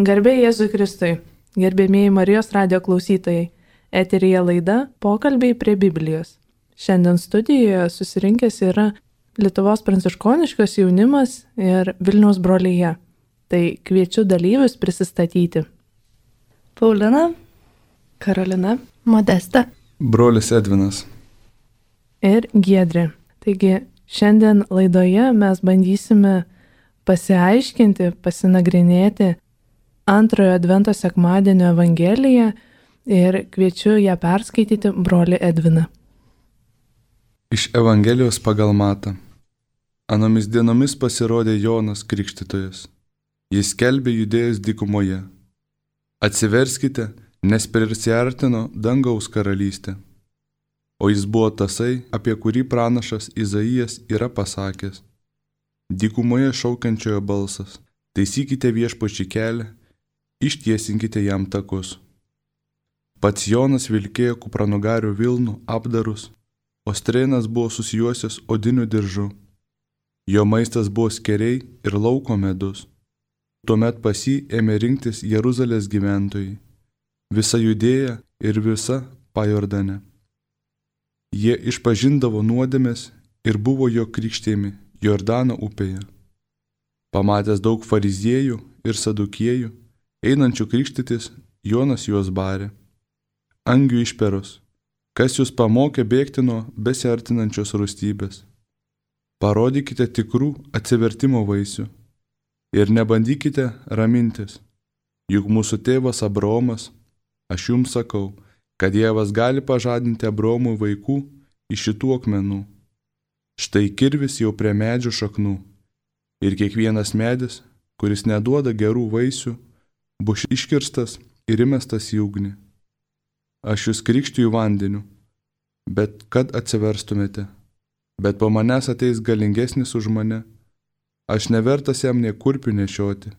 Garbė Jėzui Kristui, gerbėmieji Marijos radijo klausytojai, eteryje laida Pokalbiai prie Biblijos. Šiandien studijoje susirinkęs yra Lietuvos pranciškoniškas jaunimas ir Vilniaus brolija. Tai kviečiu dalyvius prisistatyti. Paulina, Karolina, Modesta, brolis Edvinas ir Giedrė. Taigi šiandien laidoje mes bandysime pasiaiškinti, pasinagrinėti antrojo Advento sekmadienio Evangeliją ir kviečiu ją perskaityti brolį Edviną. Iš Evangelijos pagal Matą. Anomis dienomis pasirodė Jonas Krikštytojas. Jis skelbė Judėjos dykumoje. Atsiverskite, nes prisiartino dangaus karalystė. O jis buvo tasai, apie kurį pranašas Izaijas yra pasakęs. Dykumoje šaukiančiojo balsas. Taisykite viešpačiui kelią, ištiesinkite jam takus. Pats Jonas vilkėjo kupranugarių vilnų apdarus, o strėnas buvo susijuosęs odiniu diržu. Jo maistas buvo skeriai ir lauko medus. Tuomet pas jį ėmė rinktis Jeruzalės gyventojai, visa Judėja ir visa Pajordanė. Jie išpažindavo nuodėmes ir buvo jo krikštijami Jordano upėje. Pamatęs daug fariziejų ir sadukiejų, einančių krikštytis, Jonas juos barė. Angių išperos, kas jūs pamokė bėgti nuo besiartinančios rūstybės? Parodykite tikrų atsivertimo vaisių ir nebandykite ramintis, juk mūsų tėvas Abraomas, aš jums sakau, kad Dievas gali pažadinti Abraomui vaikų iš šitų akmenų. Štai kirvis jau prie medžių šaknų ir kiekvienas medis, kuris neduoda gerų vaisių, bus iškirstas ir įmestas į ugnį. Aš jūs krikštiju vandeniu, bet kad atsiverstumėte, bet po manęs ateis galingesnis už mane, aš nevertas jam nė kurpių nešioti.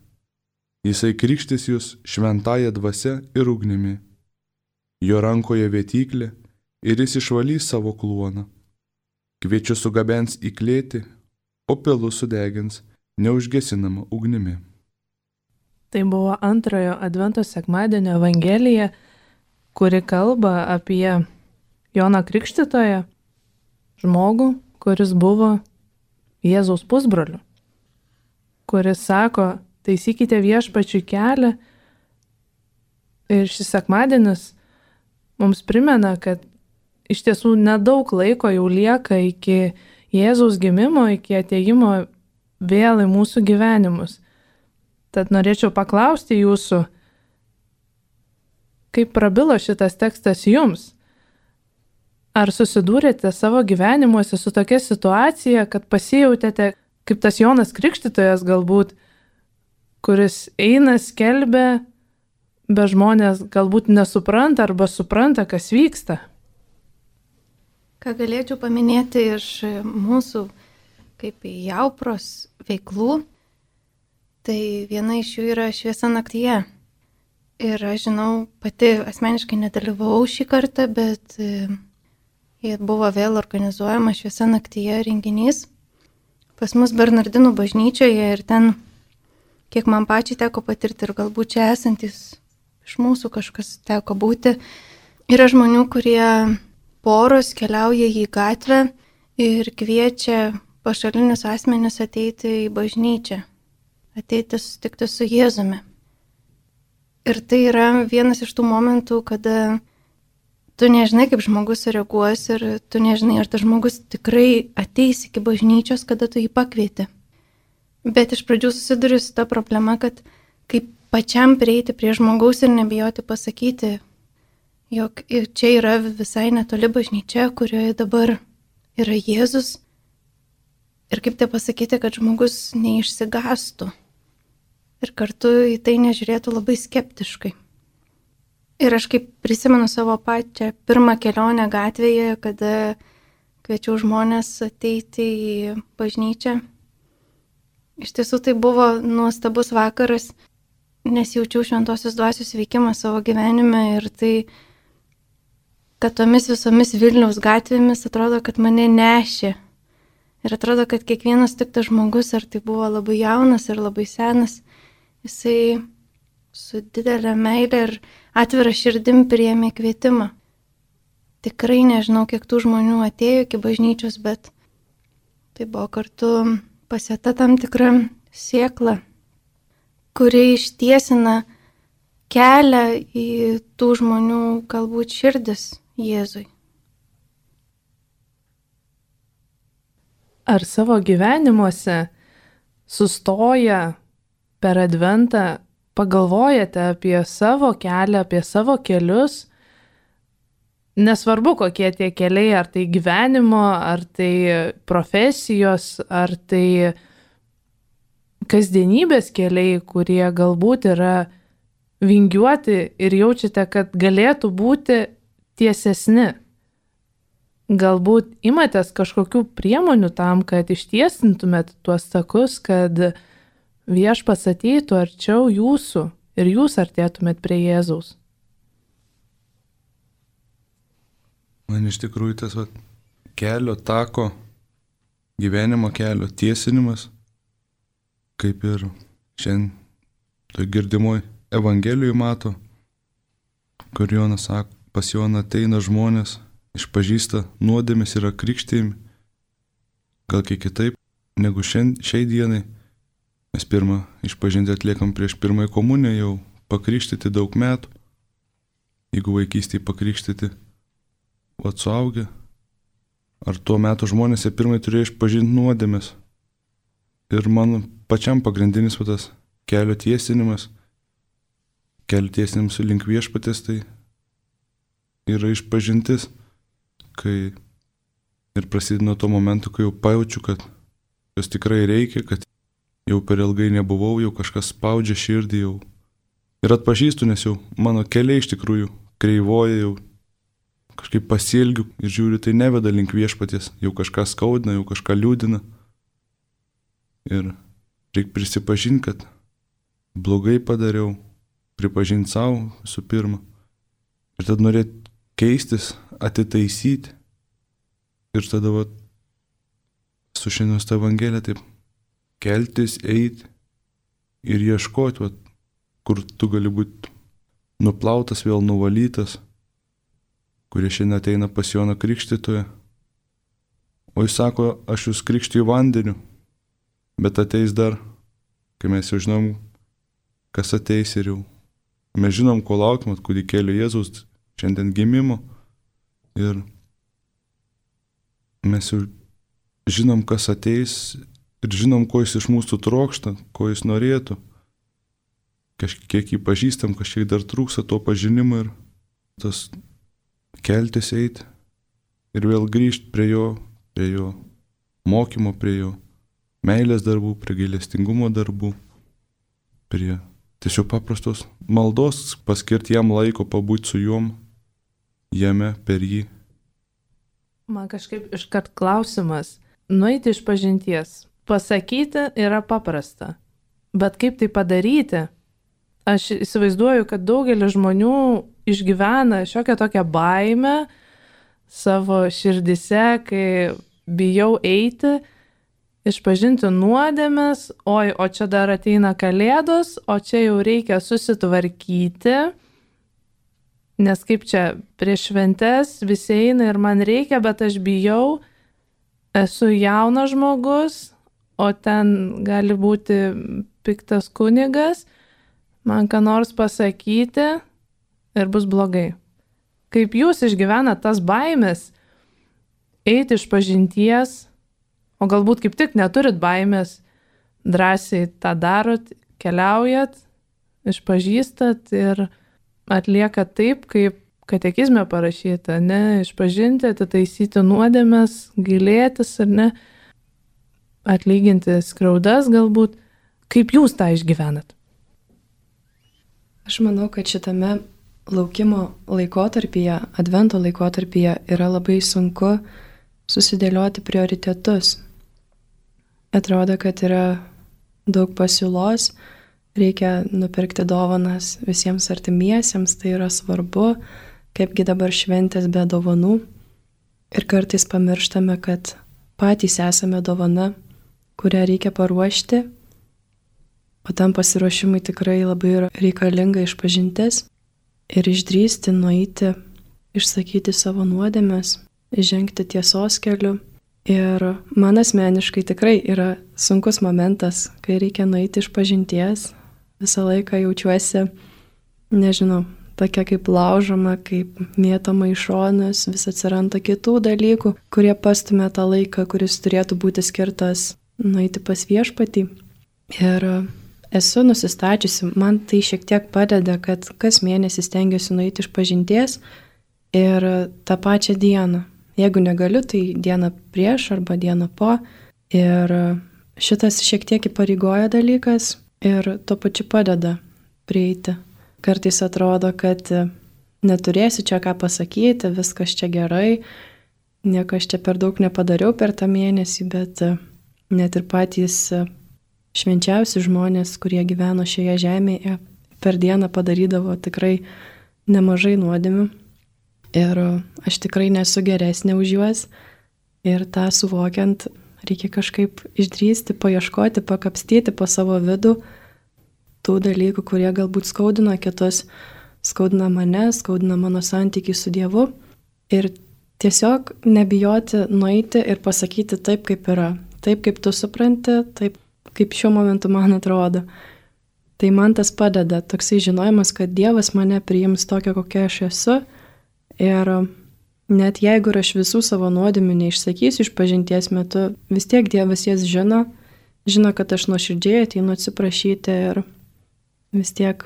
Jisai krikštys jūs šventąja dvasia ir ugnimi. Jo rankoje vėtyklė ir jis išvalys savo kluoną. Kviečiu sugabens į klėtį, o pilus sudegins neužgesinama ugnimi. Tai buvo antrojo Advento sekmadienio Evangelija, kuri kalba apie Joną Krikštytoją, žmogų, kuris buvo Jėzaus pusbroliu, kuris sako, taisykite viešpačiui kelią. Ir šis sekmadienis mums primena, kad iš tiesų nedaug laiko jau lieka iki Jėzaus gimimo, iki atėjimo vėl į mūsų gyvenimus. Tad norėčiau paklausti jūsų, kaip prabilo šitas tekstas jums? Ar susidūrėte savo gyvenimuose su tokia situacija, kad pasijautėte kaip tas Jonas Krikštytojas galbūt, kuris eina, skelbia, bet žmonės galbūt nesupranta arba supranta, kas vyksta? ką galėčiau paminėti iš mūsų kaip jaupros veiklų, tai viena iš jų yra Šviesa naktyje. Ir aš žinau, pati asmeniškai nedalyvavau šį kartą, bet buvo vėl organizuojama Šviesa naktyje renginys pas mus Bernardinų bažnyčioje ir ten, kiek man pačiai teko patirti ir galbūt čia esantis iš mūsų kažkas teko būti, yra žmonių, kurie poros keliauja į gatvę ir kviečia pašalinius asmenis ateiti į bažnyčią, ateiti susitikti su Jėzumi. Ir tai yra vienas iš tų momentų, kada tu nežinai, kaip žmogus reaguos ir tu nežinai, ar tas žmogus tikrai ateis iki bažnyčios, kada tu jį pakvieti. Bet iš pradžių susiduriu su ta problema, kad kaip pačiam prieiti prie žmogaus ir nebijoti pasakyti, jog čia yra visai netoli bažnyčia, kurioje dabar yra Jėzus. Ir kaip tai pasakyti, kad žmogus neišsigastų ir kartu į tai nežiūrėtų labai skeptiškai. Ir aš kaip prisimenu savo pačią pirmą kelionę gatvėje, kada kviečiau žmonės ateiti į bažnyčią. Iš tiesų tai buvo nuostabus vakaras, nes jaučiau šventosios dvasios veikimą savo gyvenime ir tai, kad tomis visomis Vilniaus gatvėmis atrodo, kad mane nešė. Ir atrodo, kad kiekvienas tiktas žmogus, ar tai buvo labai jaunas ir labai senas, jisai su didelė meilė ir atvira širdim priėmė kvietimą. Tikrai nežinau, kiek tų žmonių atėjo iki bažnyčios, bet tai buvo kartu pasėta tam tikra sėkla, kuri ištiesina kelią į tų žmonių galbūt širdis Jėzui. Ar savo gyvenimuose sustoję per Adventą pagalvojate apie savo kelią, apie savo kelius? Nesvarbu, kokie tie keliai, ar tai gyvenimo, ar tai profesijos, ar tai kasdienybės keliai, kurie galbūt yra vingiuoti ir jaučiate, kad galėtų būti tiesesni. Galbūt imatės kažkokių priemonių tam, kad ištiesintumėt tuos takus, kad Viešpats ateitų arčiau jūsų ir jūs artėtumėt prie Jėzaus. Man iš tikrųjų tas kelio tako, gyvenimo kelio tiesinimas, kaip ir šiandien toj girdimoj Evangelijoj mato, kur Jonas sako, pas Joną ateina žmonės, išpažįsta nuodėmes, yra krikštijami, gal kiek kitaip negu šiai dienai. Mes pirmą išpažinti atliekam prieš pirmąją komuniją, jau pakrikštyti daug metų, jeigu vaikystėje pakrikštyti, o suaugę. Ar tuo metu žmonės pirmai turėjo išpažinti nuodėmes. Ir mano pačiam pagrindinis tas kelio tiesinimas link Viešpaties, tai yra išpažintis, kai ir prasideda nuo to momento, kai jau pajaučiu, kad jos tikrai reikia, kad jau per ilgai nebuvau, jau kažkas spaudžia širdį jau. Ir atpažįstu, nes jau mano keliai iš tikrųjų kreivoja, jau kažkaip pasielgiu ir žiūriu, tai neveda link Viešpaties, jau kažką skaudina, jau kažką liūdina. Ir reikia prisipažinti, kad blogai padariau, pripažinti savo visų pirma. Ir tada norėti keistis, atitaisyti. Ir tada su šiandienos ta Evangelija taip keltis, eiti ir ieškoti, kur tu gali būti nuplautas, vėl nuvalytas, kurie šiandien ateina pas Joną Krikštytoją. O jis sako, aš jūs krikštiju vandeniu, bet ateis dar, kai mes jau žinom, kas ateis ir jau. Mes žinom, ko laukime, kūdikėlio Jėzaus šiandien gimimo ir mes jau žinom, kas ateis ir žinom, ko jis iš mūsų trokšta, ko jis norėtų. Kažkiek jį pažįstam, kažkiek dar trūksta to pažinimo ir tas keltis eiti ir vėl grįžti prie jo mokymo, prie jo meilės darbų, prie gailestingumo darbų, prie tiesiog paprastos maldos, paskirti jam laiko pabūti su juom, jame, per jį. Man kažkaip iškart klausimas, nueiti iš pažinties, pasakyti yra paprasta, bet kaip tai padaryti? Aš įsivaizduoju, kad daugelis žmonių išgyvena šiokią tokią baimę savo širdise, kai bijau eiti, išpažinti nuodėmes, o čia dar ateina Kalėdos, o čia jau reikia susitvarkyti, nes kaip čia prieš šventes visi eina ir man reikia, bet aš bijau, esu jaunas žmogus, o ten gali būti piktas kunigas, man ką nors pasakyti ir bus blogai. Kaip jūs išgyvenat tas baimės, eiti iš pažinties, o galbūt kaip tik neturit baimės, drąsiai tą darot, keliaujat, išpažįstat ir atliekat taip, kaip katekizme parašyta, ne, išpažinti, atitaisyti nuodėmes, gailėtis ar ne, atlyginti skriaudas galbūt. Kaip jūs tą išgyvenat? Aš manau, kad šitame laukimo laikotarpyje, advento laikotarpyje yra labai sunku susidėlioti prioritetus. Atrodo, kad yra daug pasiūlos, reikia nupirkti dovanas visiems artimiesiems, tai yra svarbu, kaipgi dabar šventės be dovanų. Ir kartais pamirštame, kad patys esame dovana, kurią reikia paruošti o tam pasiruošimui tikrai labai yra reikalinga išpažintis ir išdrįsti, nueiti, išsakyti savo nuodėmes, žengti tiesos keliu. Ir man asmeniškai tikrai yra sunkus momentas, kai reikia nueiti išpažinties. Visą laiką jaučiuosi, nežinau, tokia kaip laužoma, kaip mėtoma į šonus, vis atsiranda kitų dalykų, kurie pastumia tą laiką, kuris turėtų būti skirtas nueiti pas viešpatį. Ir esu nusistačiusi, man tai šiek tiek padeda, kad kas mėnesį stengiuosi nueiti išpažinties ir tą pačią dieną. Jeigu negaliu, tai dieną prieš arba dieną po. Ir šitas šiek tiek įpareigoja dalykas ir tuo pačiu padeda prieiti. Kartais atrodo, kad neturėsiu čia ką pasakyti, viskas čia gerai, nieko aš čia per daug nepadariau per tą mėnesį, bet net ir patys švenčiausi žmonės, kurie gyveno šioje žemėje, per dieną padarydavo tikrai nemažai nuodėmių. Ir aš tikrai nesu geresnė už juos. Ir tą suvokiant, reikia kažkaip išdrįsti, paieškoti, pakapstyti po savo vidų tų dalykų, kurie galbūt skaudina kitus, skaudina mane, skaudina mano santykį su Dievu. Ir tiesiog nebijoti nueiti ir pasakyti taip, kaip yra. Taip, kaip tu supranti, taip, kaip šiuo momentu man atrodo. Tai man tas padeda, toksai žinojimas, kad Dievas mane priims tokia, kokia aš esu. Ir net jeigu aš visų savo nuodėmių neišsakysiu išpažinties metu, vis tiek Dievas jas žino, kad aš nuoširdžiai ateinu atsiprašyti ir vis tiek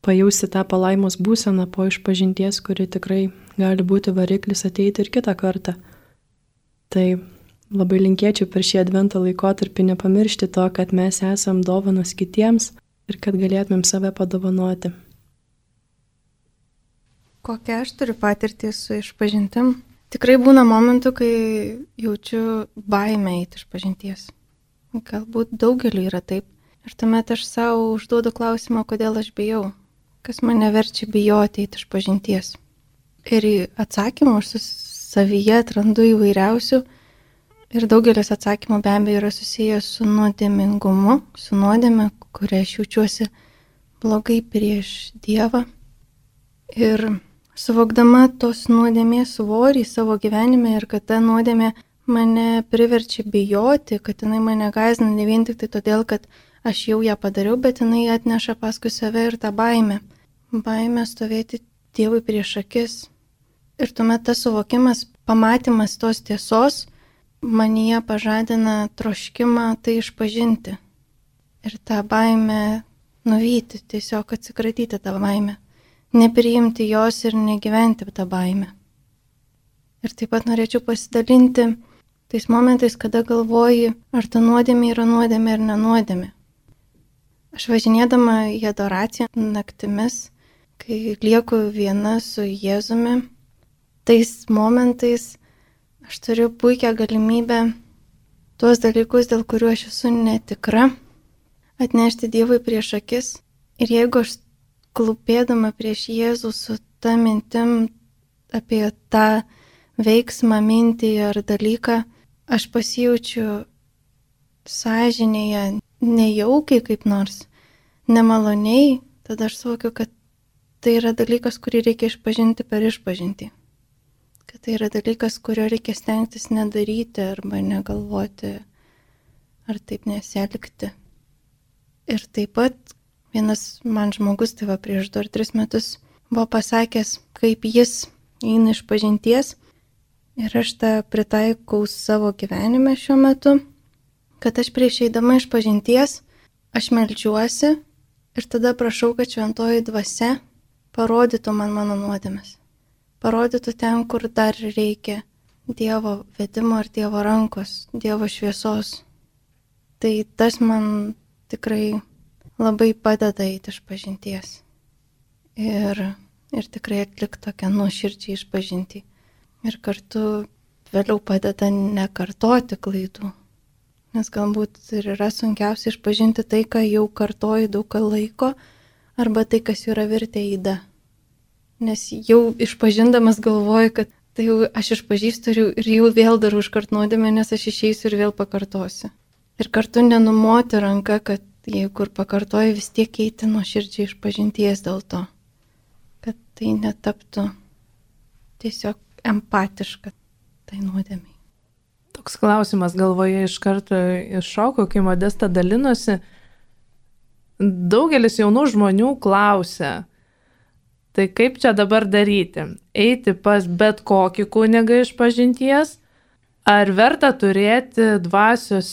pajausti tą palaimos būseną po išpažinties, kuri tikrai gali būti variklis ateiti ir kitą kartą. Tai labai linkėčiau per šį advento laikotarpį nepamiršti to, kad mes esam dovanos kitiems ir kad galėtumėm save padovanoti. Kokią aš turiu patirtį su išpažintim? Tikrai būna momentų, kai jaučiu baimę eiti išpažinties. Galbūt daugeliu yra taip. Ir tuomet aš savo užduodu klausimą, kodėl aš bijau. Kas mane verčia bijoti eiti išpažinties. Ir atsakymų aš savyje atrandu įvairiausių. Ir daugelis atsakymų be abejo yra susijęs su nuodėmingumu, su nuodėme, kuria aš jaučiuosi blogai prieš Dievą. Ir suvokdama tos nuodėmės svorį savo gyvenime ir kad ta nuodėmė mane priverčia bijoti, kad jinai mane gąsdina ne vien tik tai todėl, kad aš jau ją padariau, bet jinai atneša paskui save ir tą baimę. Baimę stovėti Dievui prieš akis. Ir tuomet tas suvokimas, pamatymas tos tiesos, manyje pažadina troškimą tai išpažinti. Ir tą baimę nuvyti, tiesiog atsikratyti tą baimę. Nepriimti jos ir negyventi tą baimę. Ir taip pat norėčiau pasidalinti tais momentais, kada galvoji, ar ta nuodėmė yra nuodėmė ar nenuodėmė. Aš važinėdama į adoraciją naktimis, kai lieku viena su Jėzumi, tais momentais aš turiu puikią galimybę tuos dalykus, dėl kurių aš esu netikra, atnešti Dievui prieš akis. Ir jeigu aš klūpėdama prieš Jėzų su ta mintim apie tą veiksmą, mintį ar dalyką, aš pasijaučiu sąžinėje nejaukiai kaip nors, nemaloniai, tada aš suvokiu, kad tai yra dalykas, kurį reikia išpažinti per išpažintį. Kad tai yra dalykas, kurio reikia stengtis nedaryti arba negalvoti ar taip nesielgti. Ir taip pat vienas man žmogus, tai va prieš 2 ar 3 metus, buvo pasakęs, kaip jis eina išpažinties ir aš tą pritaikau savo gyvenime šiuo metu, kad aš prieš eidama išpažinties, aš meldžiuosi ir tada prašau, kad šventoji dvasia parodytų man mano nuodėmes. Parodytų ten, kur dar reikia Dievo vedimo ir Dievo rankos, Dievo šviesos. Tai tas man tikrai labai padeda eiti išpažinties ir tikrai atlikti tokią nuoširdžią išpažintį. Ir kartu vėliau padeda nekartoti klaidų. Nes galbūt ir yra sunkiausia išpažinti tai, ką jau kartoji daug laiko, arba tai, kas jau yra virtę yda. Nes jau išpažindamas galvoju, kad tai jau aš išpažįstu ir jau vėl darau iškart nuodėmę, nes aš išeisiu ir vėl pakartosiu. Ir kartu nenumoti ranką, kad jeigu ir pakartoju, vis tiek eiti nuoširdžiai išpažinties dėl to, kad tai netaptų tiesiog empatiška tai nuodėmiai. Toks klausimas galvoje iš karto iššoko, kai Modesta dalinosi. Daugelis jaunų žmonių klausia, tai kaip čia dabar daryti? Eiti pas bet kokį kunigą išpažinties, ar verta turėti dvasios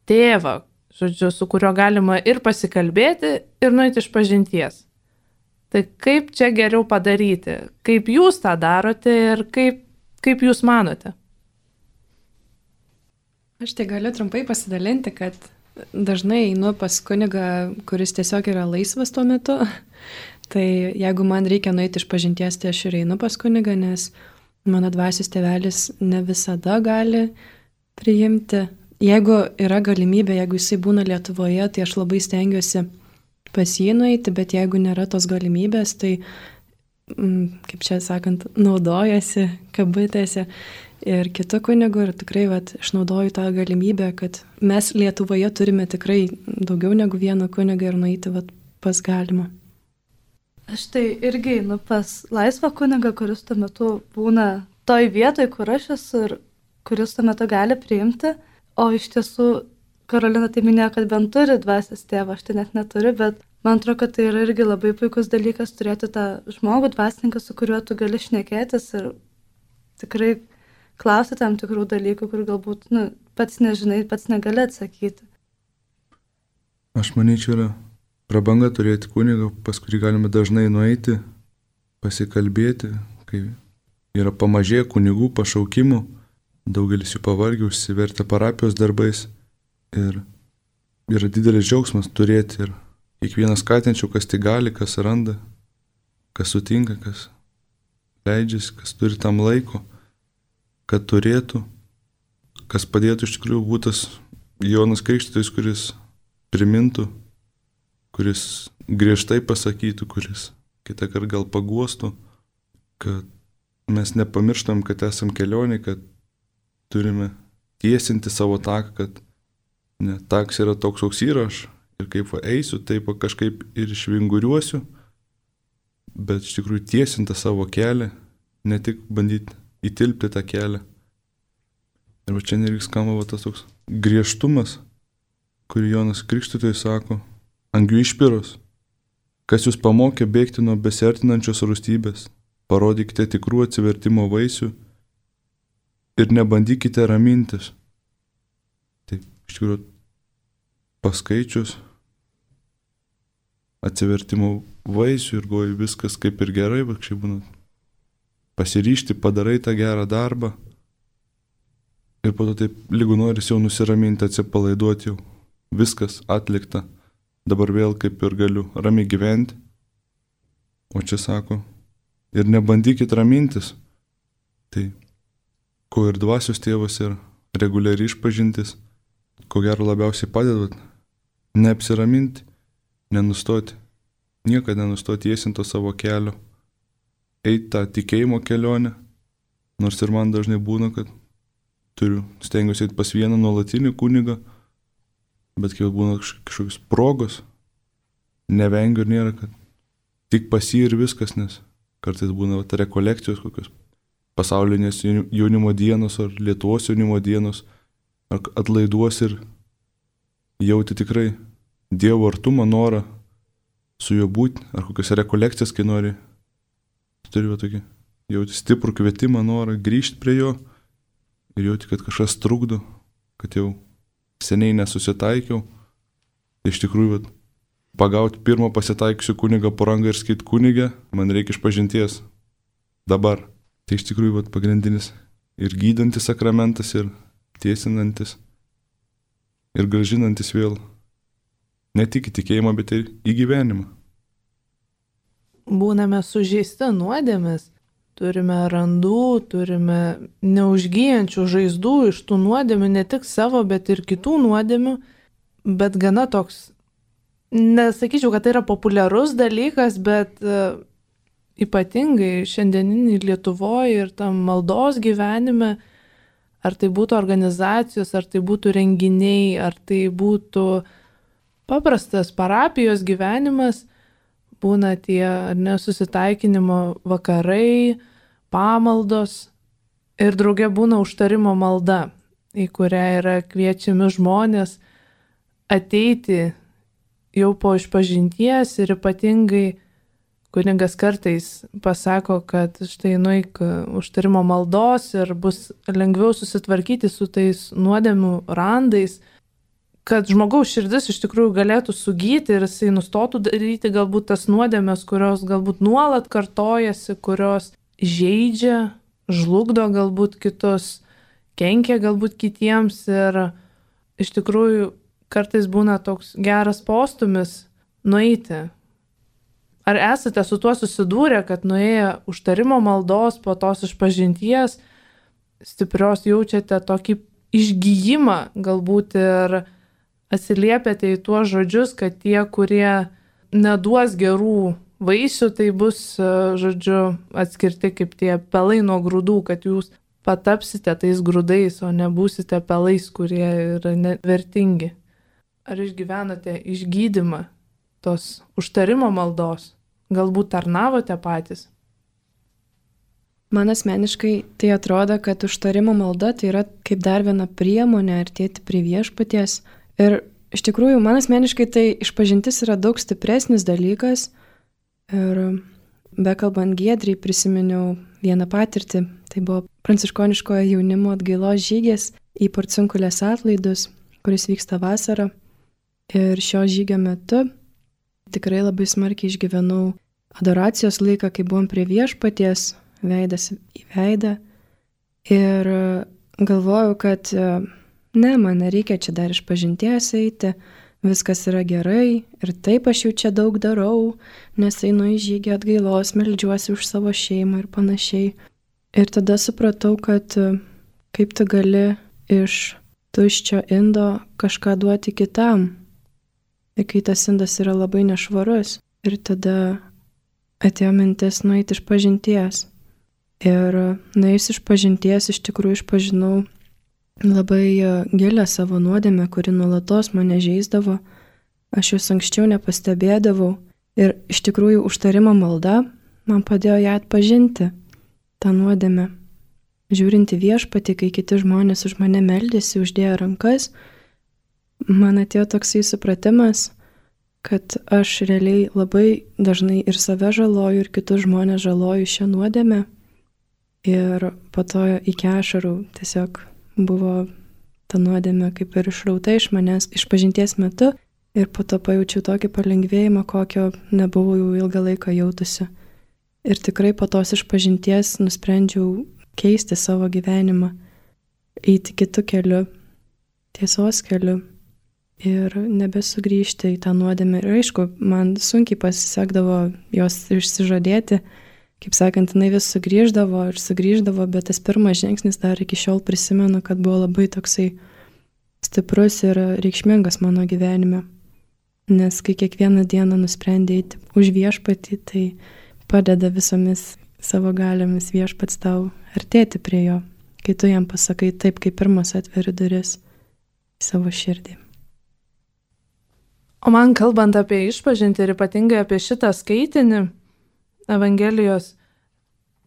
tėvą, žodžiu, su kuriuo galima ir pasikalbėti, ir nueiti išpažinties? Tai kaip čia geriau padaryti? Kaip jūs tą darote ir kaip jūs manote? Aš tai galiu trumpai pasidalinti, kad dažnai einu pas kunigą, kuris tiesiog yra laisvas tuo metu. Tai jeigu man reikia nueiti išpažinties, tai aš ir einu pas kunigą, nes mano dvasios tėvelis ne visada gali priimti. Jeigu yra galimybė, jeigu jisai būna Lietuvoje, tai aš labai stengiuosi pas jį nueiti, bet jeigu nėra tos galimybės, tai, kaip čia sakant, naudojasi kabutėse ir kitų kunigų ir tikrai išnaudoju tą galimybę, kad mes Lietuvoje turime tikrai daugiau negu vieną kunigą ir nueiti pas galima. Aš tai irgi einu pas laisvą kunigą, kuris tuo metu būna toj vietoj, kur aš esu ir kuris tuo metu gali priimti, o iš tiesų Karolina tai minėjo, kad bent turi dvasios tėvą, aš tai net neturiu, bet man atrodo, kad tai yra irgi labai puikus dalykas turėti tą žmogų, dvasininką, su kuriuo tu gali šnekėtis ir tikrai klausti tam tikrų dalykų, kur galbūt pats nežinai, pats negali atsakyti. Aš manyčiau, yra prabanga turėti kunigą, pas kurį galime dažnai nueiti, pasikalbėti, kai yra pamažėję kunigų pašaukimų, daugelis jų pavargę, užsivertę parapijos darbais ir yra didelis džiaugsmas turėti ir kiekvienas skatinčiau, kas tai gali, kas randa, kas sutinka, kas leidžiasi, kas turi tam laiko, kad turėtų, kas padėtų iš tikrųjų būtas Jonas Krikštytojas, kuris primintų, kuris griežtai pasakytų, kuris kitą kartą gal paguostų, kad mes nepamirštam, kad esam kelionė, kad turime tiesinti savo taką, kad ne, takas yra toks, koks yra aš ir kaip eisiu, taip kažkaip ir išvinguriuosiu, bet iš tikrųjų tiesinti savo kelią, ne tik bandyti įtilpti tą kelią. Ir čia irgi skamba tas toks griežtumas, kurį Jonas Krikštytojas sako, angių išpiros, kas jūs pamokė bėgti nuo besiartinančios rūstybės, parodykite tikrų atsivertimo vaisių ir nebandykite ramintis. Taip, iš tikrųjų, paskaičius atsivertimo vaisių ir goji viskas kaip ir gerai, bet šiaip būna pasiryšti, padarai tą gerą darbą ir po to taip lygu noris jau nusiraminti, atsipalaiduoti jau. Viskas atlikta, dabar vėl kaip ir galiu ramiai gyventi. O čia sako, ir nebandykit ramintis. Tai ko ir dvasios tėvas ir reguliariai išpažintis, ko gero labiausiai padeda, neapsiraminti, nenustoti, niekada nenustoti tiesinto savo kelio, eiti tą tikėjimo kelionę, nors ir man dažnai būna, kad stengiuosi eiti pas vieną nuolatinį kunigą, bet kai būna kažkokios progos, nevengiu ir nėra, kad tik pas jį ir viskas, nes kartais būna rekolekcijos kokios pasaulinės jaunimo dienos ar Lietuvos jaunimo dienos, ar atlaiduos ir jauti tikrai Dievo artumą, norą su juo būti, ar kokios rekolekcijas, kai nori, turiu tokį, jauti stiprų kvietimą, norą grįžti prie jo ir jauti, kad kažkas trukdo, kad jau seniai nesusitaikiau. Tai iš tikrųjų, pagauti pirmą pasitaikiusių kunigą po rangą ir sakyti, kunigė, man reikia išpažinties dabar. Tai iš tikrųjų pagrindinis ir gydantis sakramentas, ir tiesinantis, ir grąžinantis vėl ne tik į tikėjimą, bet ir į gyvenimą. Būname sužeisti nuodėmės, turime randų, turime neužgyjančių žaizdų iš tų nuodėmių, ne tik savo, bet ir kitų nuodėmių, bet gana toks, nesakyčiau, kad tai yra populiarus dalykas, bet ypatingai šiandieninį Lietuvoje ir tam maldos gyvenime, ar tai būtų organizacijos, ar tai būtų renginiai, ar tai būtų paprastas parapijos gyvenimas, būna tie nesusitaikinimo vakarai, pamaldos ir drauge būna užtarimo malda, į kurią yra kviečiami žmonės ateiti jau po išpažinties ir ypatingai kunigas kartais pasako, kad štai nueik užtarimo maldos ir bus lengviau susitvarkyti su tais nuodėmių randais, kad žmogaus širdis iš tikrųjų galėtų sugyti ir jisai nustotų daryti galbūt tas nuodėmės, kurios galbūt nuolat kartojasi, kurios žeidžia, žlugdo galbūt kitus, kenkia galbūt kitiems ir iš tikrųjų kartais būna toks geras postumis nueiti. Ar esate su tuo susidūrę, kad nuėję užtarimo maldos po tos išpažinties stiprios jaučiate tokį išgijimą galbūt ir atsiliepiate į tuos žodžius, kad tie, kurie neduos gerų vaisių, tai bus, žodžiu, atskirti kaip tie pelai nuo grūdų, kad jūs patapsite tais grūdais, o nebūsite pelais, kurie yra nevertingi. Ar išgyvenate išgydymą tos užtarimo maldos? Galbūt tarnavote patys? Man asmeniškai tai atrodo, kad užtarimo malda tai yra kaip dar viena priemonė artėti prie viešpaties. Ir iš tikrųjų, man asmeniškai tai išpažintis yra daug stipresnis dalykas. Ir bekalbant Giedriai prisiminiau vieną patirtį. Tai buvo pranciškoniškojo jaunimo atgailos žygis į Porciunkulės atlaidus, kuris vyksta vasarą. Ir šio žygio metu tikrai labai smarkiai išgyvenau adoracijos laiką, kai buvom prie viešpaties, veidas į veidą. Ir galvojau, kad ne, man nereikia čia dar išpažinties eiti, viskas yra gerai ir taip aš jau čia daug darau, nes einu į žygį atgailos, meldžiuosi už savo šeimą ir panašiai. Ir tada supratau, kad kaip tu gali iš tuščio indo kažką duoti kitam. Ir kai tas indas yra labai nešvarus. Ir tada atėjo mintis nueiti iš pažinties. Ir nuėjus iš pažinties iš tikrųjų išpažinau labai gilę savo nuodėmę, kuri nuolatos mane žeisdavo. Aš jos anksčiau nepastebėdavau. Ir iš tikrųjų užtarimo malda man padėjo ją atpažinti, tą nuodėmę. Žiūrinti viešpatį, kai kiti žmonės už mane meldėsi, uždėjo rankas, man atėjo toksai supratimas, kad aš realiai labai dažnai ir save žaloju, ir kitus žmonės žaloju šią nuodėmę. Ir po to iki ašarų tiesiog buvo ta nuodėmė kaip ir išrauta iš manęs išpažinties metu. Ir po to pajaučiau tokį palengvėjimą, kokio nebuvau jau ilgą laiką jautusi. Ir tikrai po tos išpažinties nusprendžiau keisti savo gyvenimą, eiti kitu keliu, tiesos keliu ir nebesugrįžti į tą nuodėmę. Ir aišku, man sunkiai pasisekdavo jos išsižadėti, kaip sakant, jinai vis sugrįždavo, bet tas pirmas žingsnis dar iki šiol prisimenu, kad buvo labai toksai stiprus ir reikšmingas mano gyvenime. Nes kai kiekvieną dieną nusprendė eiti už viešpatį, tai padeda visomis savo galiomis viešpats tau artėti prie jo, kai tu jam pasakai taip, kaip pirmas atveri duris į savo širdį. O man kalbant apie išpažintį ir ypatingai apie šitą skaitinį Evangelijos,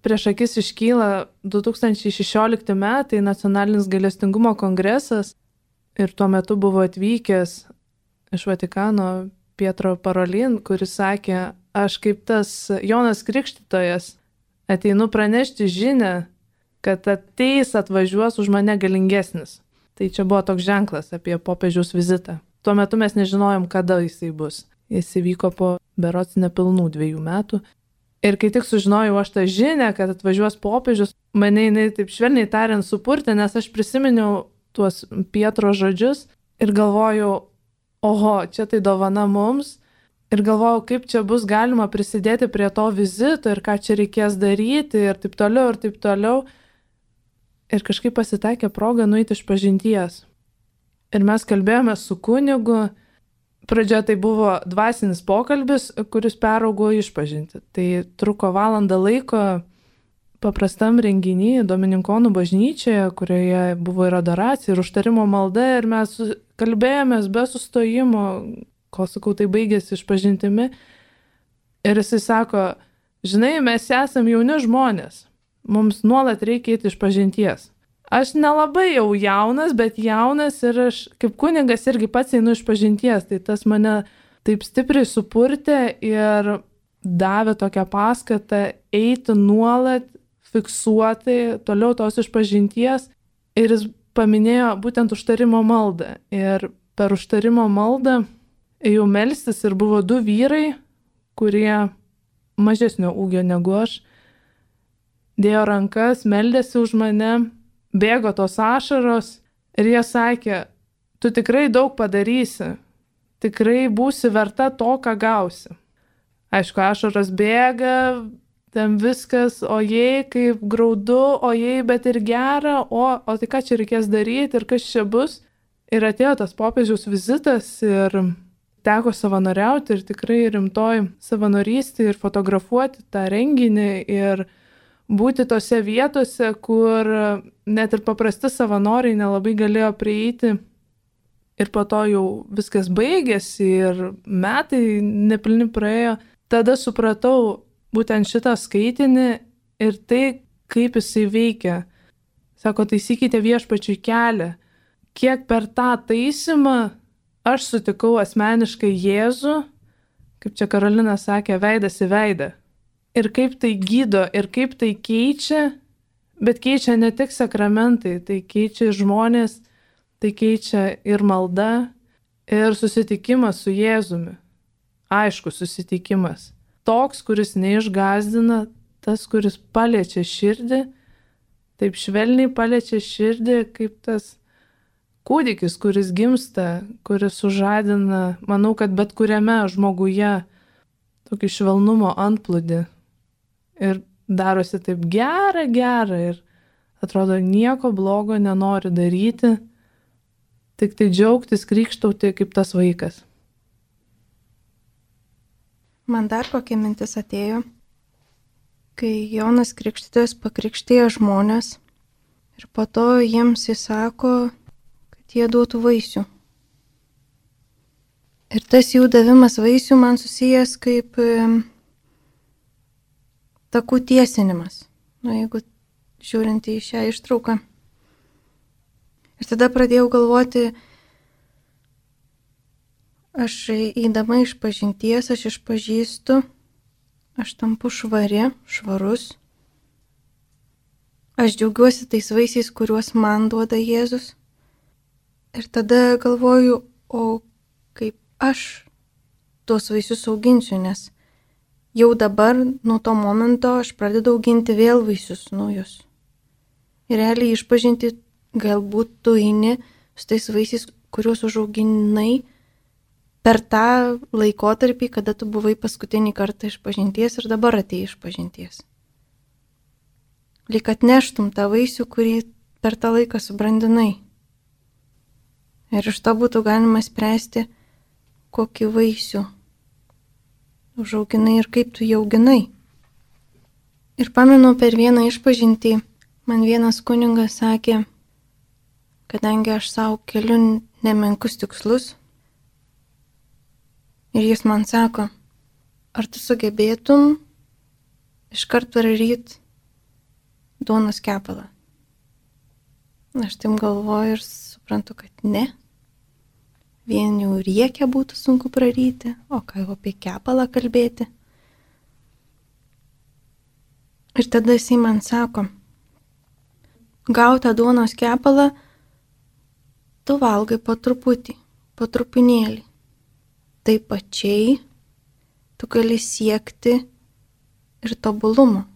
prieš akis iškyla 2016 metai Nacionalinis gailestingumo kongresas ir tuo metu buvo atvykęs iš Vatikano Pietro Parolin, kuris sakė, aš kaip tas Jonas Krikštytojas ateinu pranešti žinią, kad atvažiuos už mane galingesnis. Tai čia buvo toks ženklas apie popiežiaus vizitą. Tuo metu mes nežinojom, kada jisai bus. Jis įvyko po berods nepilnų 2 metų. Ir kai tik sužinojau aš tą žinią, kad atvažiuos popiežius, mane jinai taip švelniai tariant supurtė, nes aš prisiminiau tuos Pietro žodžius ir galvojau, oho, čia tai dovana mums. Ir galvojau, kaip čia bus galima prisidėti prie to vizito ir ką čia reikės daryti ir taip toliau, ir taip toliau. Ir kažkaip pasitaikė proga nueiti iš pažinties. Ir mes kalbėjome su kunigu. Pradžioje tai buvo dvasinis pokalbis, kuris peraugo išpažinti. Tai truko valandą laiko paprastam renginy Domininkonų bažnyčioje, kurioje buvo ir adoracija, ir užtarimo malda. Ir mes kalbėjomės be sustojimo, kol sakau, tai baigėsi išpažintimi. Ir jisai sako, žinai, mes esam jauni žmonės, mums nuolat reikia eiti išpažinties. Aš nelabai jau jaunas, bet jaunas ir aš kaip kunigas irgi pats einu išpažinties, tai tas mane taip stipriai supurtė ir davė tokią paskatą eiti nuolat, fiksuotai, toliau tos išpažinties. Ir jis paminėjo būtent užtarimo maldą. Ir per užtarimo maldą ėjau melstis ir buvo 2 vyrai, kurie mažesnio ūgio negu aš, dėjo rankas, meldėsi už mane, bėgo tos ašaros ir jie sakė, tu tikrai daug padarysi, tikrai būsi verta to, ką gausi. Aišku, ašaros bėga, ten viskas, ojei, kaip graudu, ojei, bet ir gera, o tai ką čia reikės daryti ir kas čia bus. Ir atėjo tas popiežiaus vizitas ir teko savanoriauti ir tikrai rimtoj savanorystė ir fotografuoti tą renginį ir būti tose vietose, kur net ir paprasti savanoriai nelabai galėjo prieiti. Ir po to jau viskas baigėsi ir metai nepilni praėjo. Tada supratau būtent šitą skaitinį ir tai, kaip jisai veikia. Sako, taisykite viešpačiui kelią. Kiek per tą taisymą aš sutikau asmeniškai Jėzų, kaip čia Karolina sakė, veidas į veidą. Ir kaip tai gydo, ir kaip tai keičia, bet keičia ne tik sakramentai, tai keičia žmonės, tai keičia ir malda, ir susitikimas su Jėzumi. Aišku, susitikimas. Toks, kuris neišgąsdina, tas, kuris paliečia širdį, taip švelniai paliečia širdį, kaip tas kūdikis, kuris gimsta, kuris sužadina, manau, kad bet kuriame žmoguje tokį švelnumo antplūdį. Ir darosi taip gera ir atrodo nieko blogo nenori daryti, tik tai džiaugtis, krykštauti kaip tas vaikas. Man dar kokia mintis atėjo, kai Jonas Krikštytojas pakrikštėjo žmonės ir po to jiems įsako, kad jie duotų vaisių. Ir tas jų davimas vaisių man susijęs kaip takų tiesinimas, jeigu žiūrint į šią ištrauką. Ir tada pradėjau galvoti, aš eidama išpažinties, aš išpažįstu, aš tampu švarus. Aš džiaugiuosi tais vaisiais, kuriuos man duoda Jėzus. Ir tada galvoju, o kaip aš tuos vaisius auginsiu, nes jau dabar nuo to momento aš pradedu auginti vėl vaisius naujus. Ir realiai išpažinti galbūt tu eini su tais vaisiais, kuriuos užauginai per tą laikotarpį, kada tu buvai paskutinį kartą išpažinties ir dabar atėjai išpažinties. Lyg atneštum tą vaisių, kurį per tą laiką subrandinai. Ir iš to būtų galima spręsti, kokį vaisių užauginai ir kaip tu jį auginai. Ir pamenu, per vieną išpažintį man vienas kunigas sakė, kadangi aš savo keliu nemenkus tikslus, ir jis man sako, ar tu sugebėtum iškart praryt duonos kepalą? Aš taip galvoju ir suprantu, kad ne. Vien jau riekę būtų sunku praryti, o ką jau apie kepalą kalbėti. Ir tada jisai man sako, gautą duonos kepalą tu valgai po truputį, po trupinėlį. Taip pačiai tu gali siekti ir tobulumo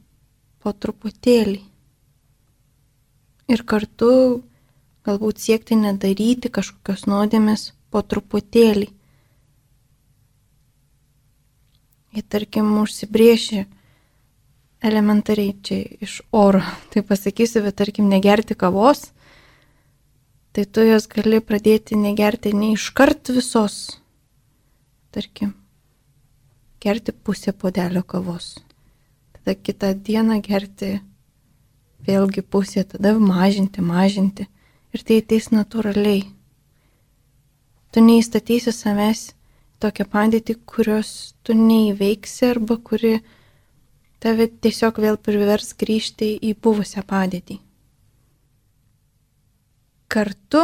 po truputėlį. Ir kartu galbūt siekti nedaryti kažkokios nuodėmės po truputėlį. Jei tarkim užsibrėši elementariai čia iš oro, tai pasakysiu, bet tarkim negerti kavos, tai tu jos gali pradėti negerti ne iškart visos. Tarkim, gerti pusę puodelio kavos. Tada kitą dieną gerti vėlgi pusę, tada mažinti. Ir tai ateis natūraliai. Tu neįstatysi savęs tokią padėtį, kurios tu neįveiksi arba kuri tave tiesiog vėl privers grįžti į buvusią padėtį. Kartu,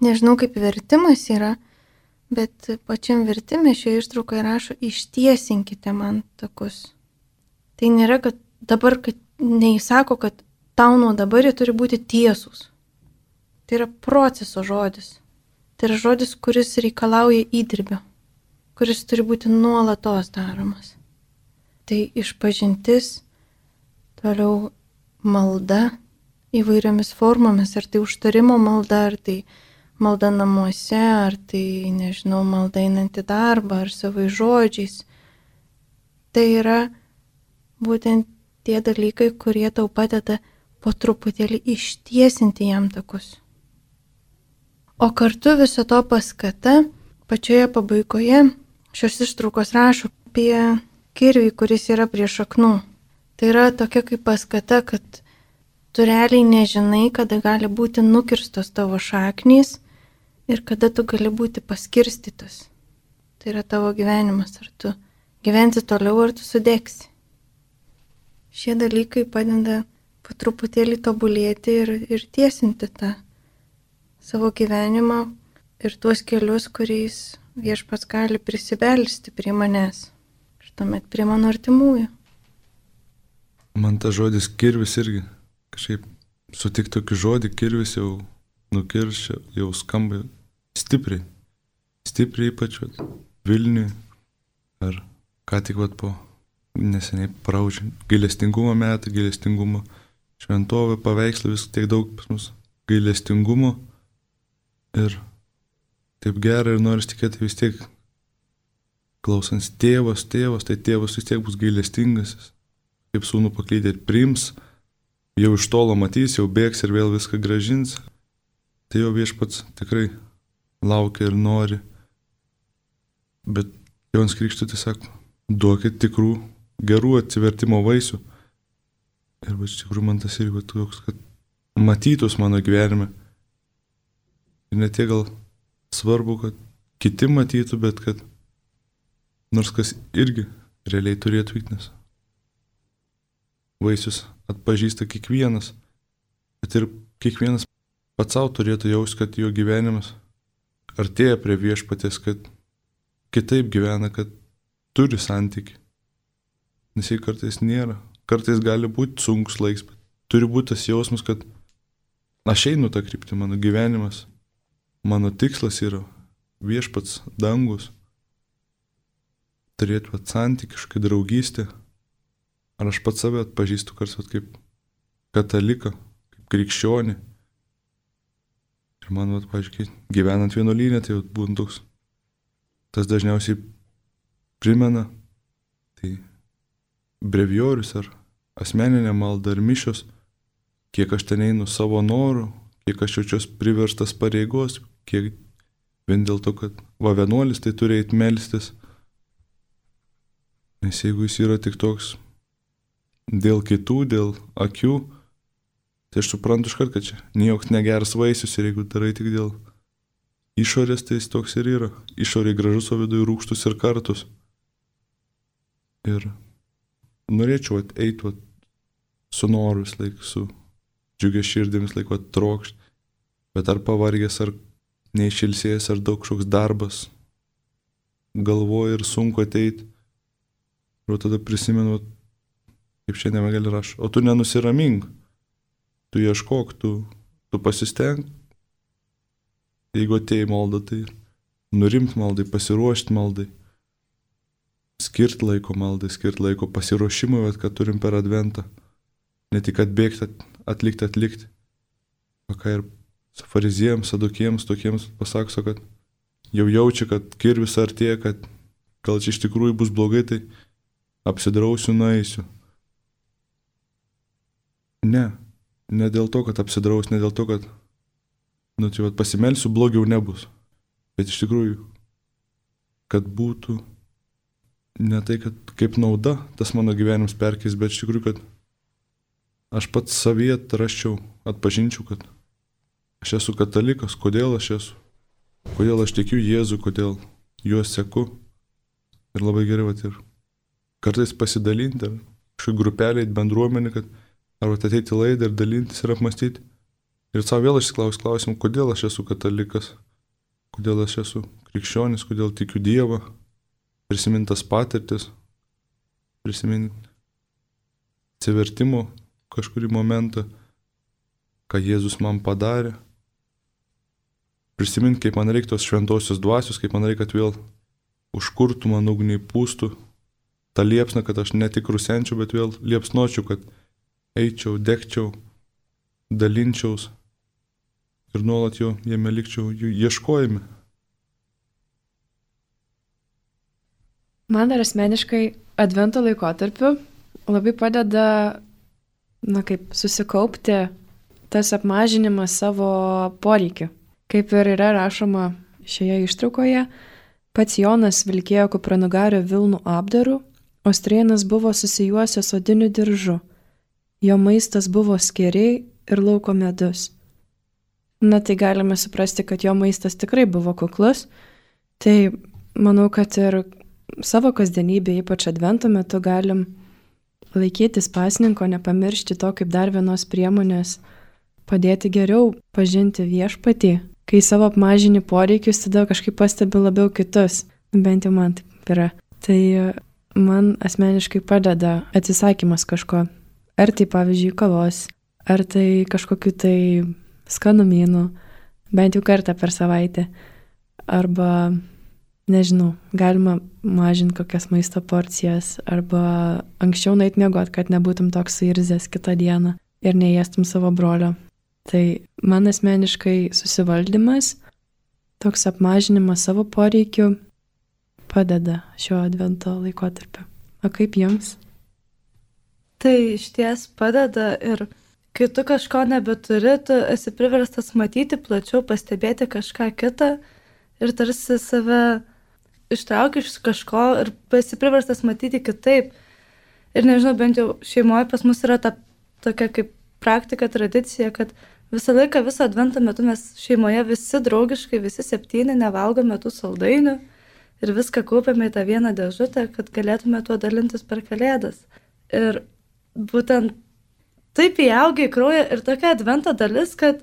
nežinau kaip vertimas yra, bet pačiam vertimė šioje ištraukoje rašo, ištiesinkite man takus. Tai nėra, kad dabar, kad neįsako, kad tau nuo dabar jie turi būti tiesūs. Tai yra proceso žodis. Tai yra žodis, kuris reikalauja įdirbio, kuris turi būti nuolatos daromas. Tai išpažintis, toliau malda įvairiomis formomis, ar tai užtarimo malda, ar tai malda namuose, ar tai, nežinau, malda einant į darbą, ar savai žodžiais. Tai yra būtent tie dalykai, kurie tau padeda po truputėlį ištiesinti jam takus. O kartu viso to paskata, pačioje pabaigoje šios ištraukos rašo apie kirvį, kuris yra prie šaknų. Tai yra tokia kaip paskata, kad tu realiai nežinai, kada gali būti nukirstos tavo šaknys ir kada tu gali būti paskirstytas. Tai yra tavo gyvenimas, ar tu gyvensi toliau, ar tu sudegsi. Šie dalykai padeda po truputėlį tobulėti ir tiesinti tą savo gyvenimą ir tuos kelius, kuriais viešpats gali prisibelsti prie manęs ir tuomet prie mano artimųjų. Man tas žodis kirvis irgi kažkaip sutik tokį žodį, kirvis jau nukirščia, jau skamba stipriai. Stipriai ypač Vilniui ar ką tik po neseniai praūžė gailestingumo metą, gailestingumo šventovė, paveikslų, vis tiek daug pas mus gailestingumo ir taip gera ir noris tikėti vis tiek klausant tėvas, tai tėvas vis tiek bus gailestingas, kaip sūnų paklydė ir priims, jau iš tolo matys, jau bėgs ir vėl viską gražins. Tai jo viešpats tikrai laukia ir nori. Bet Jonas Krikštytojas sako, duokit tikrų gerų atsivertimo vaisių. Ir iš tikrųjų man tas irgi toks, kad matytus mano gyvenime. Ir ne tiek gal svarbu, kad kiti matytų, bet kad nors kas irgi realiai turėtų vykti. Vaisius atpažįsta kiekvienas, bet ir kiekvienas pats savo turėtų jausti, kad jo gyvenimas artėja prie viešpaties, kad kitaip gyvena, kad turi santykį. Nes jei kartais nėra, kartais gali būti sunkus laiks, bet turi būti tas jausmas, kad aš einu tą kryptį, mano gyvenimas, mano tikslas yra viešpats dangus, turėti santykiškai draugystę. Ar aš pats save atpažįstu kartais kaip kataliką, kaip krikščionį. Ir man, pažiūrėk, gyvenant vienuolyne, tai būtent toks. Tas dažniausiai primena, tai brevijorius ar asmeninė malda ar mišios, kiek aš ten einu savo norų, kiek aš jaučiuos priverstas pareigos, kiek vien dėl to, kad vienuolis tai turi eiti melstis. Nes jeigu jis yra tik toks dėl kitų, dėl akių, tai aš suprantu iškart, kad čia niekoks negeras vaisius ir jeigu darai tik dėl išorės, tai jis toks ir yra. Išorė gražus, o viduje rūgštus ir kartus. Ir norėčiau eiti su noru vis laik, su džiugia širdėmis laik trokšti, bet ar pavargęs, ar neišilsėjęs, ar daug kažkoks darbas, galvoju ir sunku ateiti. Ir tada prisimenu, kaip šiandien Evangelija rašo, o tu nenusiramink, tu ieškok, tu pasisteng. Jeigu atėjai maldą, tai nurimt maldai, pasiruošti maldai, skirti laiko maldai, skirti laiko pasiruošimui, bet kad turim per adventą. Ne tik atbėgti, atlikti. O ką ir su fariziejams, sadukiems, tokiems pasakso, kad jau jaučia, kad kirvis artėja, kad gal čia iš tikrųjų bus blogai, tai apsidrausiu, nueisiu. Ne dėl to, kad apsidraus, ne dėl to, kad pasimelsiu, blogiau nebus. Bet iš tikrųjų, kad būtų ne tai, kad kaip nauda tas mano gyvenimas perkeis, bet iš tikrųjų, kad aš pats savyje atrasčiau, atpažinčiau, kad aš esu katalikas, kodėl aš esu, kodėl aš tikiu Jėzų, kodėl juos seku. Ir labai gerai, vat, ir kartais pasidalinti, ar kažkokiu grupeliai, bendruomenė, kad arba ateiti į laidą ir dalintis ir apmastyti. Ir savo vėl išsiklausti klausimą, kodėl aš esu katalikas, kodėl aš esu krikščionis, kodėl tikiu Dievą, prisimintas patirtis, prisiminti atsivertimo kažkurį momentą, ką Jėzus man padarė. Prisiminti, kaip man reikia tos šventosios dvasios, kaip man reikia, kad vėl užkurtų man ugniai pūstų tą liepsną, kad aš ne tik rusenčiau, bet vėl liepsnočiau, kad eičiau, degčiau, dalinčiaus ir nuolat jo jame likčiau jų ieškojime. Man dar asmeniškai advento laikotarpiu labai padeda, susikaupti tas apmažinimas savo poreikių. Kaip ir yra rašoma šioje ištraukoje, pats Jonas vilkėjo kupranugario vilnų apdaru, o strėnas buvo susijuosęs odiniu diržu. Jo maistas buvo skėriai ir lauko medus. Tai galime suprasti, kad jo maistas tikrai buvo kuklus. Tai manau, kad ir savo kasdienybėje, ypač advento metu, galim laikytis pasninko, nepamiršti to kaip dar vienos priemonės, padėti geriau pažinti viešpatį. Kai savo apmažini poreikius, tada kažkaip pastebi labiau kitus. Bent jau man taip yra. Tai man asmeniškai padeda atsisakymas kažko. Ar tai pavyzdžiui kavos, ar tai kažkokiu tai skanumynų, bent jau kartą per savaitę. Arba, nežinau, galima mažinti kokias maisto porcijas, arba anksčiau nueit miegot, kad nebūtum toks suirzęs kitą dieną ir neėstum savo brolio. Tai man asmeniškai susivaldymas, toks apmažinimas savo poreikių padeda šio advento laikotarpiu. O kaip jums? Tai išties padeda ir kai tu kažko nebeturi, tu esi priverstas matyti plačiau, pastebėti kažką kitą ir tarsi save ištrauki iš kažko ir esi priverstas matyti kitaip. Ir nežinau, bent jau šeimoje pas mus yra ta tokia kaip praktika, tradicija, kad visą laiką, viso advento metu mes šeimoje visi draugiškai, visi 7 nevalgome tų saldainių ir viską kaupiame į tą vieną dėžutę, kad galėtume tuo dalintis per Kalėdas. Ir būtent taip įaugia į kraują ir tokia advento dalis, kad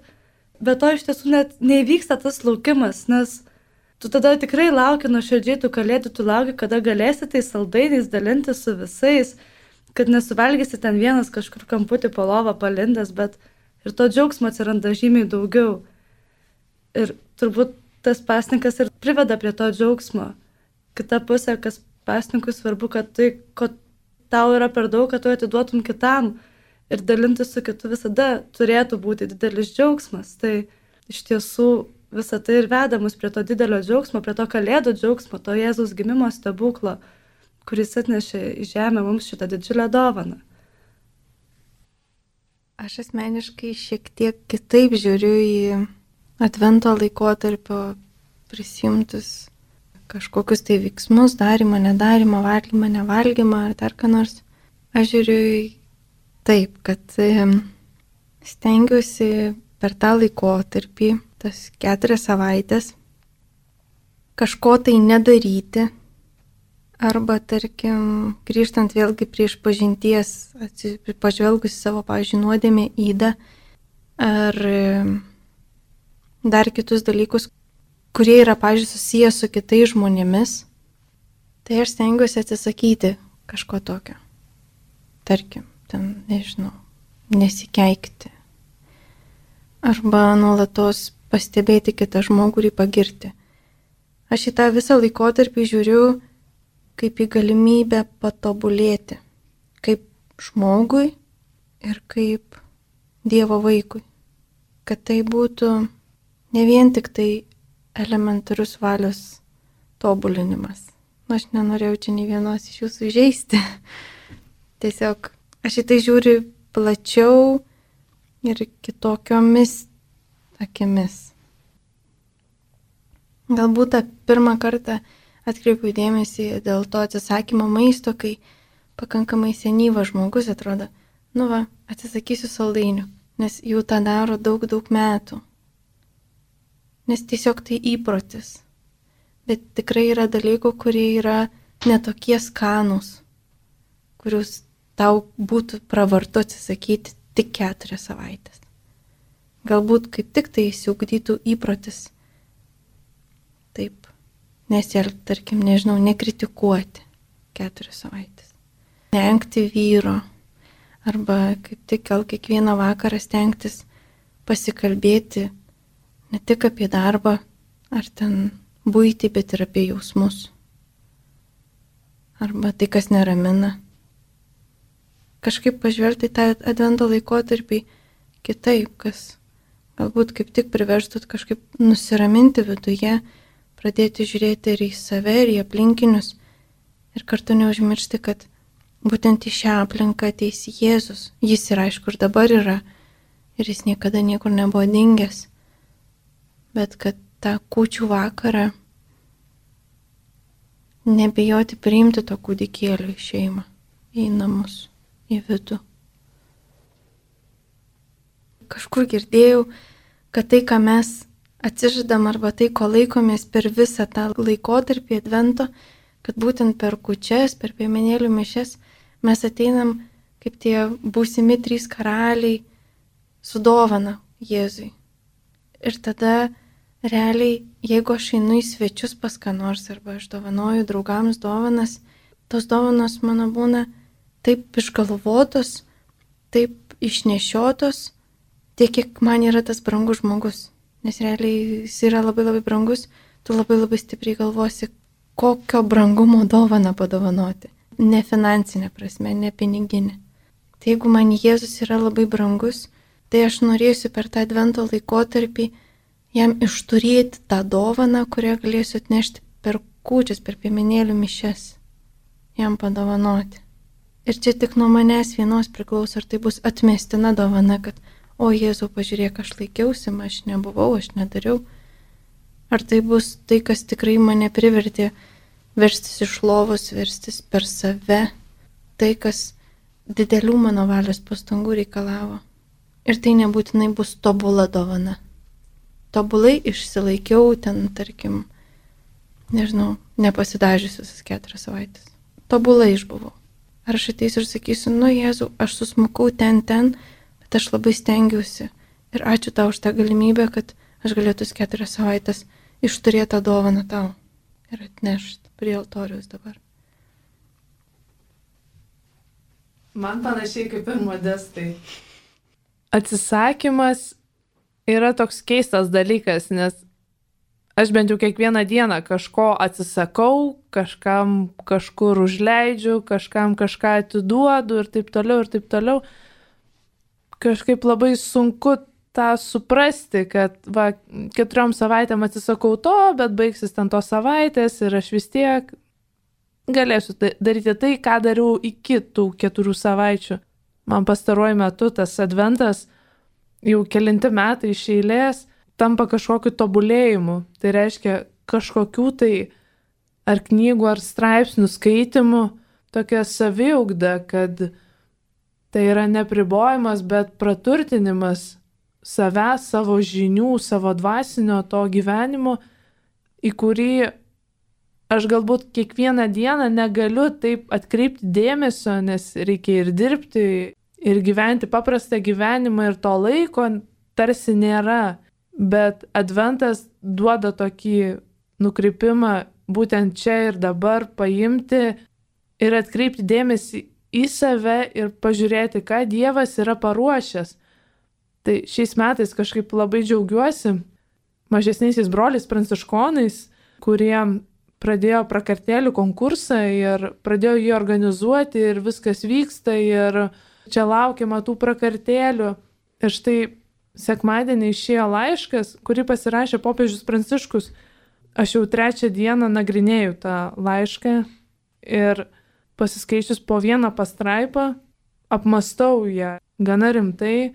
be to iš tiesų net neįvyksta tas laukimas, nes tu tada tikrai lauki nuoširdžiai tų Kalėdų, tu lauki, kada galėsi tais saldainiais dalinti su visais, kad nesuvalgysi ten vienas kažkur kamputį po lovą palindęs, bet ir to džiaugsmo atsiranda žymiai daugiau. Ir turbūt tas pasninkas ir priveda prie to džiaugsmo. Kita pusė, kas pasninkui svarbu, kad tai, ko tau yra per daug, kad tu atiduotum kitam ir dalintis su kitu visada turėtų būti didelis džiaugsmas. Tai iš tiesų visą tai ir veda mus prie to didelio džiaugsmo, prie to Kalėdų džiaugsmo, to Jėzaus gimimo stebuklo, kuris atnešė į žemę mums šitą didžiulę dovaną. Aš asmeniškai šiek tiek kitaip žiūriu į advento laikotarpio prisimtus kažkokius tai veiksmus, darimą, nedarimą, valgymą, nevalgymą ar dar ką nors. Aš žiūriu taip, kad stengiuosi per tą laikotarpį, tas 4 savaitės, kažko tai nedaryti. Arba, tarkim, grįžtant vėlgi prie išpažinties, pažvelgus savo, pavyzdžiui, nuodėmę ydą, ar dar kitus dalykus, kurie yra, pavyzdžiui, susiję su kitais žmonėmis, tai aš stengiuosi atsisakyti kažko tokio. Tarkim, ten, nežinau, nesikeikti. Arba nuolatos pastebėti kitą žmogų ir jį pagirti. Aš į tą visą laikotarpį žiūriu kaip į galimybę patobulėti, kaip žmogui ir kaip Dievo vaikui. Kad tai būtų ne vien tik tai elementarus valios tobulinimas. Aš nenorėjau čia nei vienos iš jūsų įžeisti. Tiesiog aš į tai žiūriu plačiau ir kitokiomis akimis. Galbūt tą pirmą kartą atkreipiu dėmesį dėl to atsisakymo maisto, kai pakankamai senyvas žmogus atrodo, atsisakysiu saldainių, nes jau tą daro daug metų. Nes tiesiog tai įprotis. Bet tikrai yra dalykų, kurie yra netokie skanūs, kurius tau būtų pravartu atsisakyti tik 4 savaitės. Galbūt kaip tik tai įsiugdytų įprotis. Taip, nesielgti, tarkim, nežinau, nekritikuoti 4 savaitės. Neengti vyro. Arba kaip tik gal kiekvieną vakarą stengtis pasikalbėti ne tik apie darbą ar ten buitį, bet ir apie jausmus. Arba tai, kas neramina. Kažkaip pažvelgti tą advento laikotarpį kitaip, kas galbūt kaip tik priverstų kažkaip nusiraminti viduje, pradėti žiūrėti ir į save, ir į aplinkinius, ir kartu neužmiršti, kad būtent į šią aplinką ateis Jėzus. Jis ir aišku ir dabar yra, ir jis niekada niekur nebuvo dingęs. Bet kad tą kūčių vakarą nebijoti priimti to kūdikėlio į šeimą, į namus, į vidų. Kažkur girdėjau, kad tai, ką mes atsižadam arba tai, ko laikomės per visą tą laikotarpį advento, kad būtent per kūčias, per piemenėlių mišias mes ateinam kaip tie būsimi 3 karaliai su dovana Jėzui. Ir tada realiai, jeigu aš einu į svečius pas ką nors arba aš dovanoju draugams dovanas, tos dovanos mano būna taip išgalvotos, taip išnešiotos, tiek, kiek man yra tas brangus žmogus. Nes realiai jis yra labai labai brangus, tu labai labai stipriai galvosi, kokio brangumo dovaną padovanoti. Ne finansinė prasme, ne piniginė. Tai jeigu man Jėzus yra labai brangus, tai aš norėsiu per tą advento laikotarpį jam išturėti tą dovaną, kurią galėsiu atnešti per kūčias, per piemenėlių mišias. Jam padovanoti. Ir čia tik nuo manęs vienos priklauso, ar tai bus atmestina dovana, kad o Jėzau, pažiūrėk, aš laikiausi, aš nebuvau, aš nedariau. Ar tai bus tai, kas tikrai mane privertė verstis iš lovos, verstis per save, tai, kas didelių mano valios pastangų reikalavo. Ir tai nebūtinai bus tobula dovana. Tobulai išsilaikiau ten, tarkim, nežinau, nepasidažiusi visas 4 savaitės. Tobulai išbuvau. Ar aš ateisiu ir sakysiu, nu Jėzau, aš susmukau ten, bet aš labai stengiausi. Ir ačiū tau už tą galimybę, kad aš galėtų 4 savaitės išturėti tą dovaną tau ir atnešti prie altoriaus dabar. Man panašiai kaip ir Modestai. Atsisakymas yra toks keistas dalykas, nes aš bent jau kiekvieną dieną kažko atsisakau, kažkam kažkur užleidžiu, kažkam kažką atiduodu ir taip toliau, ir taip toliau. Kažkaip labai sunku tą suprasti, kad 4 savaitėm atsisakau to, bet baigsis ten tos savaitės ir aš vis tiek galėsiu daryti tai, ką dariau iki tų 4 savaičių. Man pastaruoju metu tas adventas jau kelinti metai iš eilės tampa kažkokiu tobulėjimu. Tai reiškia kažkokių tai ar knygų, ar straipsnių skaitimų, tokia saviugda, kad tai yra nepribojimas, bet praturtinimas savęs, savo žinių, savo dvasinio to gyvenimo, į kurį aš galbūt kiekvieną dieną negaliu taip atkreipti dėmesio, nes reikia ir dirbti, ir gyventi paprastą gyvenimą, ir to laiko tarsi nėra. Bet adventas duoda tokį nukrypimą būtent čia ir dabar paimti ir atkreipti dėmesį į save ir pažiūrėti, ką Dievas yra paruošęs. Tai šiais metais kažkaip labai džiaugiuosi mažesniaisiais broliais pranciškonais, kurie pradėjo prakartėlių konkursą ir pradėjo jį organizuoti ir viskas vyksta ir čia laukiama tų prakartėlių. Ir štai sekmadienį išėjo laiškas, kurį pasirašė popiežius Pranciškus. Aš jau 3 dieną nagrinėjau tą laišką ir pasiskaičius po vieną pastraipą, apmastau ją gana rimtai.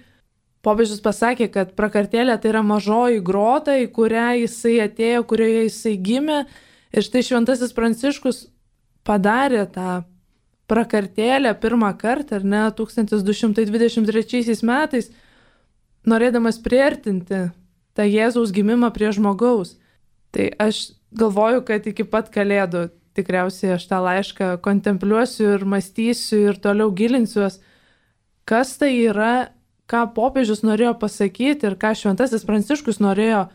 Popiežius pasakė, kad prakartėlė tai yra mažoji grota, į kurią jisai atėjo, kurioje jisai gimė. Ir štai šventasis Pranciškus padarė tą prakartėlę pirmą kartą, ar ne, 1223 metais, norėdamas priartinti tą Jėzaus gimimą prie žmogaus. Tai aš galvoju, kad iki pat Kalėdų tikriausiai aš tą laišką kontempliuosiu ir mąstysiu ir toliau gilinsiuos, kas tai yra, ką popiežius norėjo pasakyti ir ką šventasis Pranciškus norėjo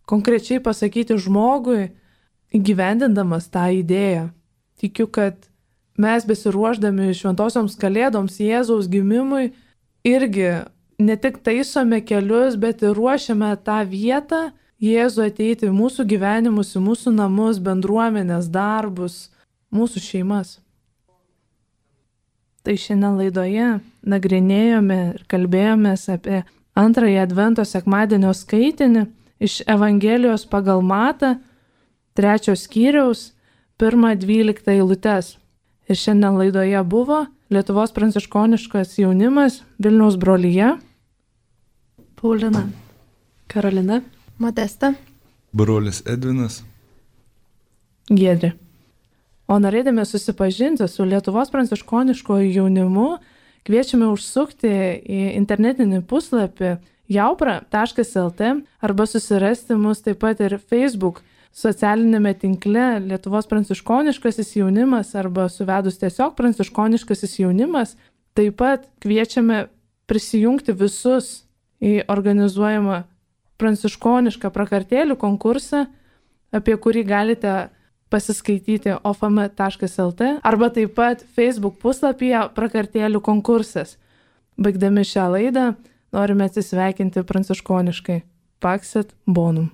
konkrečiai pasakyti žmogui, įgyvendindamas tą idėją. Tikiu, kad mes besiruošdami šventosioms Kalėdoms, Jėzaus gimimui, irgi ne tik taisome kelius, bet ir ruošiame tą vietą Jėzų ateiti į mūsų gyvenimus, į mūsų namus, bendruomenės, darbus, mūsų šeimas. Tai šiandien laidoje nagrinėjome ir kalbėjomės apie antrąjį Advento sekmadienio skaitinį iš Evangelijos pagal Matą, 3 skyriaus, 1-12 eilutes. Ir šiandien laidoje buvo Lietuvos pranciškoniškas jaunimas, Vilniaus brolija, Paulina, Karolina, Modesta. Brolis Edvinas. Giedrė. O norėdami susipažinti su Lietuvos pranciškoniškoju jaunimu, kviečiame užsukti į internetinį puslapį jaupra.lt arba susirasti mus taip pat ir Facebook socialinėme tinkle Lietuvos pranciškoniškasis jaunimas arba suvedus tiesiog pranciškoniškasis jaunimas. Taip pat kviečiame prisijungti visus į organizuojamą pranciškonišką prakartėlių konkursą, apie kurį galite pasiskaityti ofm.lt arba taip pat Facebook puslapyje prakartėlių konkursas. Baigdami šią laidą norime atsisveikinti pranciškoniškai. Pax et bonum.